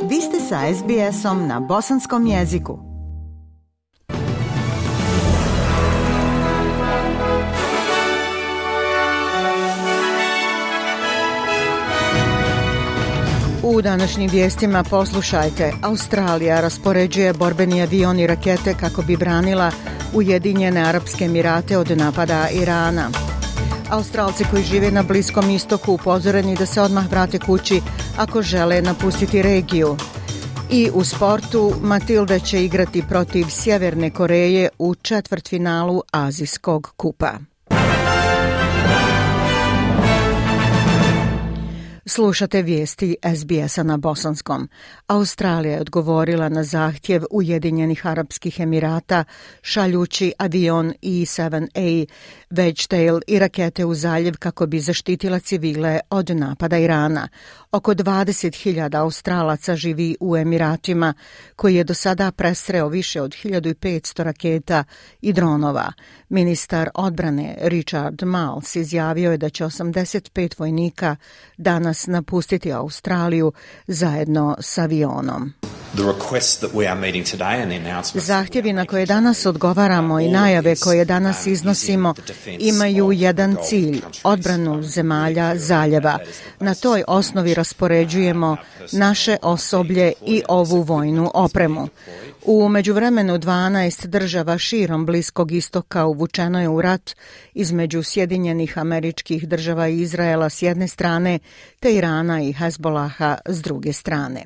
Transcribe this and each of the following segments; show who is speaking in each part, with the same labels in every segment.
Speaker 1: Vi ste sa SBS-om na bosanskom jeziku. U današnjim vijestima poslušajte. Australija raspoređuje borbeni avion i rakete kako bi branila Ujedinjene Arapske Emirate od napada Irana. Australci koji žive na Bliskom istoku upozoreni da se odmah vrate kući ako žele napustiti regiju. I u sportu Matilda će igrati protiv Sjeverne Koreje u četvrtfinalu Azijskog kupa. Slušate vijesti SBS-a na bosanskom. Australija je odgovorila na zahtjev Ujedinjenih Arapskih Emirata šaljući avion E-7A, Wedgetail i rakete u zaljev kako bi zaštitila civile od napada Irana. Oko 20.000 Australaca živi u Emiratima, koji je do sada presreo više od 1500 raketa i dronova. Ministar odbrane Richard Marles izjavio je da će 85 vojnika danas napustiti Australiju zajedno s avionom. Zahtjevi na koje danas odgovaramo i najave koje danas iznosimo imaju jedan cilj, odbranu zemalja zaljeva. Na toj osnovi raspoređujemo naše osoblje i ovu vojnu opremu. U međuvremenu 12 država širom Bliskog istoka uvučeno je u rat između Sjedinjenih Američkih Država i Izraela s jedne strane, te Irana i Hezbolaha s druge strane.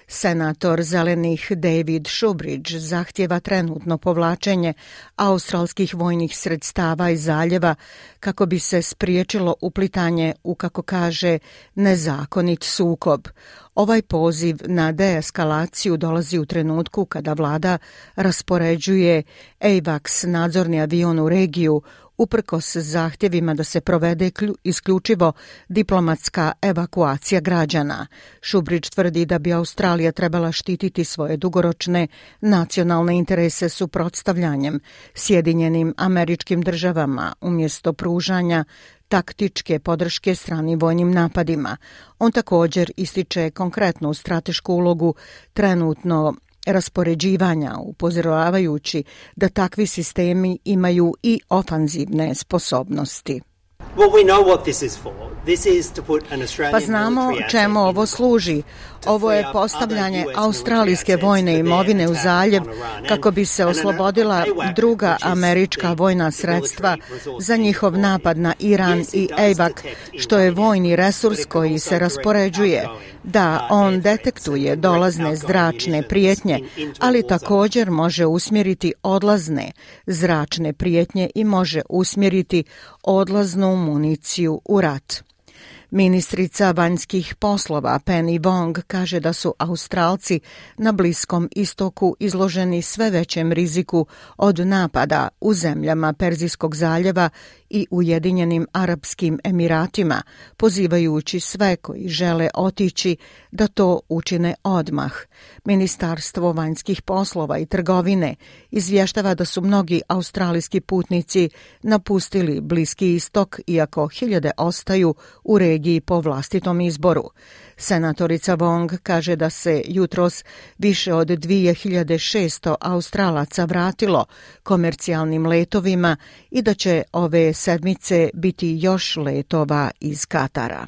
Speaker 1: Senator Zelenih David Shoebridge zahtjeva trenutno povlačenje australskih vojnih sredstava iz zaljeva kako bi se spriječilo uplitanje u, kako kaže, nezakonit sukob. Ovaj poziv na deeskalaciju dolazi u trenutku kada vlada raspoređuje AWACS nadzorni avion u regiju uprkos zahtjevima da se provede isključivo diplomatska evakuacija građana. Shoebridge tvrdi da bi Australija trebala štititi svoje dugoročne nacionalne interese suprotstavljanjem Sjedinjenim Američkim Državama umjesto pružanja taktičke podrške stranim vojnim napadima. On također ističe konkretnu stratešku ulogu trenutno raspoređivanja, upozoravajući da takvi sistemi imaju i ofanzivne sposobnosti. Pa znamo čemu ovo služi. Ovo je postavljanje australijske vojne imovine u zaljev kako bi se oslobodila druga američka vojna sredstva za njihov napad na Iran i AWAC, što je vojni resurs koji se raspoređuje. Da, on detektuje dolazne zračne prijetnje, ali također može usmjeriti odlazne zračne prijetnje i može usmjeriti odlaznu municiju u rat. Ministrica vanjskih poslova Penny Wong kaže da su Australci na Bliskom istoku izloženi sve većem riziku od napada u zemljama Perzijskog zaljeva i Ujedinjenim Arapskim Emiratima, pozivajući sve koji žele otići da to učine odmah. Ministarstvo vanjskih poslova i trgovine izvještava da su mnogi australijski putnici napustili Bliski istok, iako hiljade ostaju u regiji po vlastitom izboru. Senatorica Wong kaže da se jutros više od 2600 Australaca vratilo komercijalnim letovima i da će ove sedmice biti još letova iz Katara.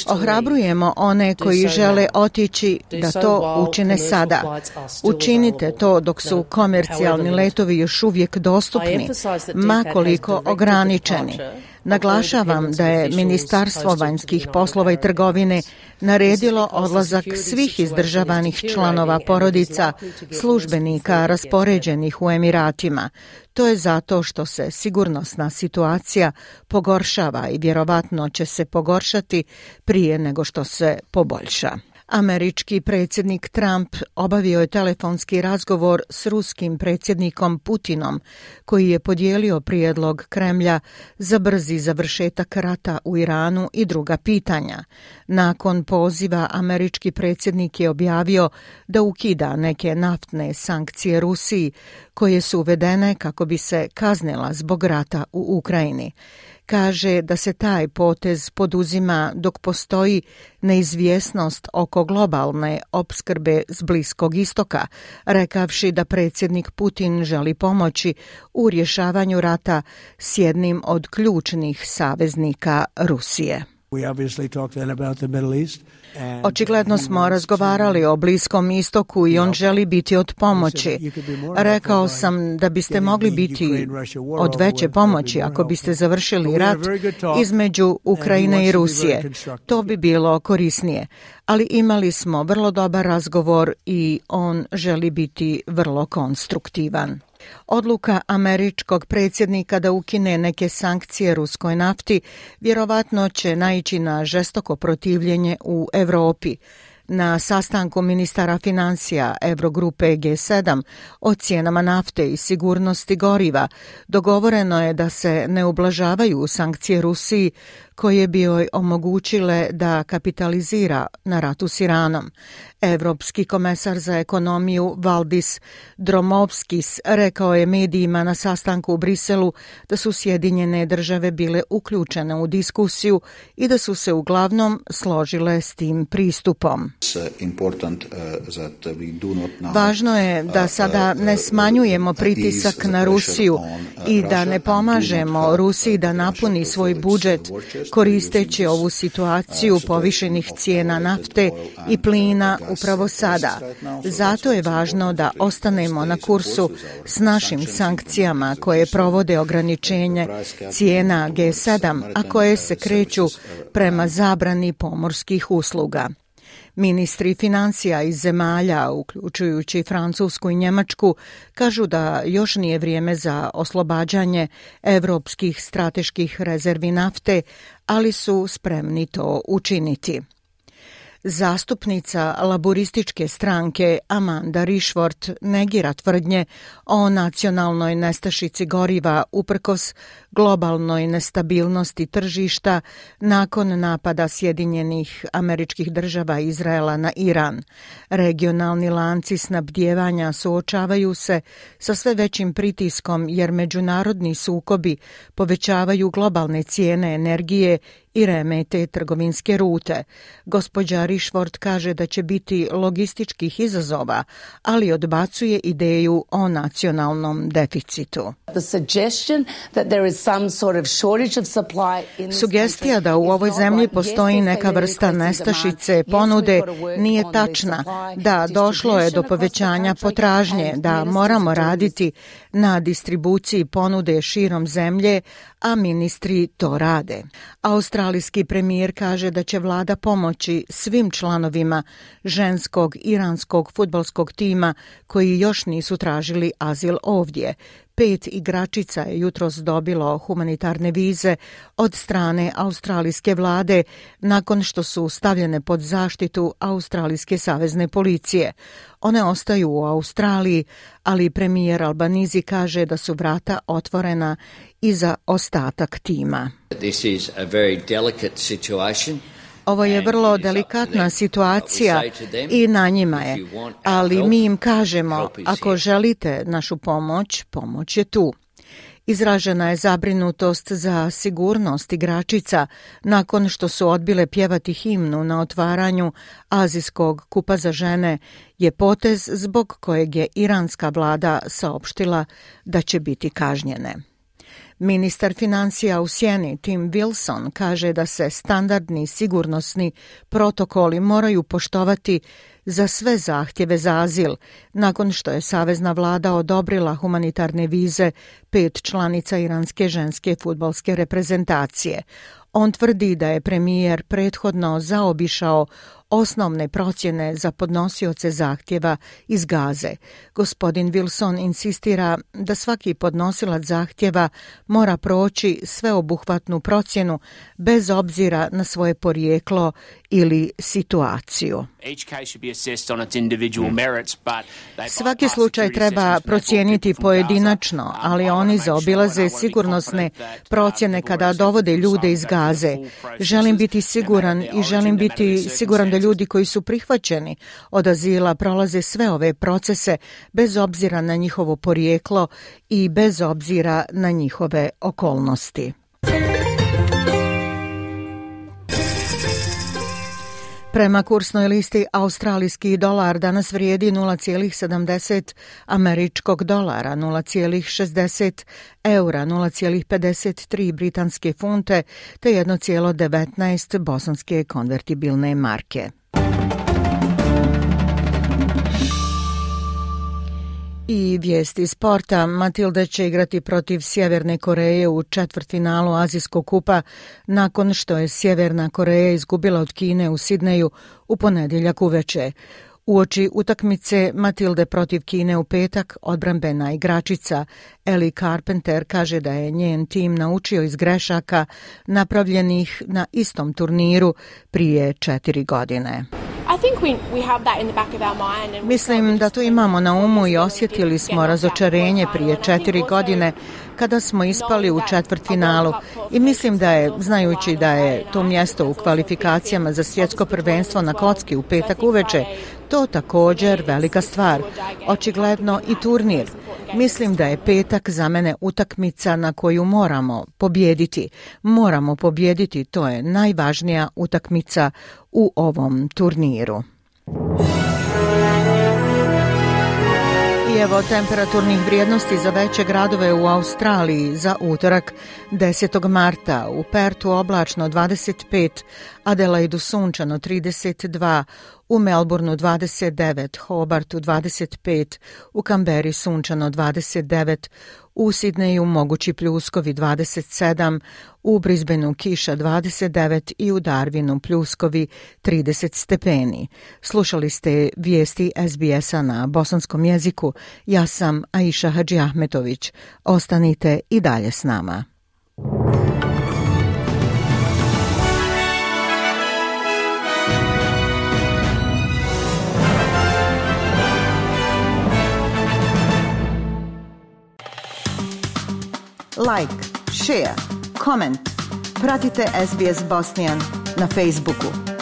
Speaker 1: Ohrabrujemo one koji žele otići da to učine sada. Učinite to dok su komercijalni letovi još uvijek dostupni, ma koliko ograničeni. Naglašavam da je Ministarstvo vanjskih poslova i trgovine naredilo odlazak svih izdržavanih članova porodica, službenika raspoređenih u Emiratima. To je zato što se sigurnosna situacija pogoršava i vjerovatno će se pogoršati prije nego što se poboljša. Američki predsjednik Trump obavio je telefonski razgovor s ruskim predsjednikom Putinom, koji je podijelio prijedlog Kremlja za brzi završetak rata u Iranu i druga pitanja. Nakon poziva američki predsjednik je objavio da ukida neke naftne sankcije Rusiji, koje su uvedene kako bi se kaznila zbog rata u Ukrajini. kaže da se taj potez poduzima dok postoji neizvjesnost oko globalne opskrbe s Bliskog istoka, rekavši da predsjednik Putin želi pomoći u rješavanju rata s jednim od ključnih saveznika Rusije. Očigledno smo razgovarali o Bliskom istoku i on želi biti od pomoći. Rekao sam da biste mogli biti od veće pomoći ako biste završili rat između Ukrajine i Rusije. To bi bilo korisnije. Ali imali smo vrlo dobar razgovor i on želi biti vrlo konstruktivan. Odluka američkog predsjednika da ukine neke sankcije ruskoj nafti vjerovatno će naići na žestoko protivljenje u Europi. Na sastanku ministara financija Eurogrupe G7 o cijenama nafte i sigurnosti goriva dogovoreno je da se ne ublažavaju sankcije Rusiji koje bi joj omogućile da kapitalizira na ratu s Iranom. Evropski komesar za ekonomiju Valdis Dombrovskis rekao je medijima na sastanku u Briselu da su Sjedinjene države bile uključene u diskusiju i da su se uglavnom složile s tim pristupom. Važno je da sada ne smanjujemo pritisak na Rusiju i da ne pomažemo Rusiji da napuni svoj budžet koristeći ovu situaciju povišenih cijena nafte i plina upravo sada. Zato je važno da ostanemo na kursu s našim sankcijama koje provode ograničenje cijena G7, a koje se kreću prema zabrani pomorskih usluga. Ministri financija iz zemalja, uključujući Francusku i Njemačku, kažu da još nije vrijeme za oslobađanje evropskih strateških rezervi nafte, ali su spremni to učiniti. Zastupnica laborističke stranke Amanda Rishworth negira tvrdnje o nacionalnoj nestašici goriva uprkos globalnoj nestabilnosti tržišta nakon napada Sjedinjenih Američkih Država i Izraela na Iran. Regionalni lanci snabdijevanja suočavaju se sa sve većim pritiskom jer međunarodni sukobi povećavaju globalne cijene energije i remete trgovinske rute. Gospođa Rishworth kaže da će biti logističkih izazova, ali odbacuje ideju o nacionalnom deficitu. Sugestija da u ovoj zemlji postoji neka vrsta nestašice ponude nije tačna, da došlo je do povećanja potražnje, da moramo raditi na distribuciji ponude širom zemlje, a ministri to rade. Australijski premijer kaže da će vlada pomoći svim članovima ženskog iranskog fudbalskog tima koji još nisu tražili azil ovdje. 5 igračica je jutros dobilo humanitarne vize od strane australijske vlade nakon što su stavljene pod zaštitu australijske savezne policije. One ostaju u Australiji, ali premijer Albanizi kaže da su vrata otvorena i za ostatak tima.
Speaker 2: This is a very delicate situation.
Speaker 1: Ovo je vrlo delikatna situacija i na njima je, ali mi im kažemo, ako želite našu pomoć, pomoć je tu. Izražena je zabrinutost za sigurnost igračica nakon što su odbile pjevati himnu na otvaranju Azijskog kupa za žene, je potez zbog kojeg je iranska vlada saopštila da će biti kažnjene. Ministar financija u sjeni Tim Wilson kaže da se standardni sigurnosni protokoli moraju poštovati za sve zahtjeve za azil, nakon što je savezna vlada odobrila humanitarne vize 5 članica iranske ženske fudbalske reprezentacije. On tvrdi da je premijer prethodno zaobišao osnovne procjene za podnosioce zahtjeva iz Gaze. Gospodin Wilson insistira da svaki podnosilac zahtjeva mora proći sveobuhvatnu procjenu bez obzira na svoje porijeklo ili situaciju. Svaki slučaj treba procijeniti pojedinačno, ali oni zaobilaze sigurnosne procjene kada dovode ljude iz Gaze. Želim biti siguran i želim biti siguran da ljudi koji su prihvaćeni od azila prolaze sve ove procese bez obzira na njihovo porijeklo i bez obzira na njihove okolnosti. Prema kursnoj listi, australijski dolar danas vrijedi 0,70 američkog dolara, 0,60 eura, 0,53 britanske funte te 1,19 bosanske konvertibilne marke. I vijesti sporta. Matilde će igrati protiv Sjeverne Koreje u četvrtfinalu Azijskog kupa nakon što je Sjeverna Koreja izgubila od Kine u Sidneju u ponedjeljak uveče. Uoči utakmice Matilde protiv Kine u petak, odbrambena igračica Ellie Carpenter kaže da je njen tim naučio iz grešaka napravljenih na istom turniru prije 4 godine. Mislim da to imamo na umu i osjetili smo razočarenje prije 4 godine kada smo ispali u četvrtfinalu i mislim da je, znajući da je to mjesto u kvalifikacijama za svjetsko prvenstvo na kocki u petak uveče, to također velika stvar. Očigledno i turnir. Mislim da je petak za mene utakmica na koju moramo pobijediti. Moramo pobijediti, to je najvažnija utakmica u ovom turniru. I evo temperaturnih vrijednosti za veće gradove u Australiji za utorak 10. marta. U Pertu oblačno 25, Adelaidu sunčano 32, u Melbourneu 29, Hobartu 25, u Kamberi sunčano 29, u Sidneju mogući pljuskovi 27, u Brisbaneu kiša 29 i u Darwinu pljuskovi 30 stepeni. Slušali ste vijesti SBS-a na bosanskom jeziku. Ja sam Aisha Hadži Ahmetović. Ostanite i dalje s nama. Like, share, comment. Pratite SBS Bosnian na Facebooku.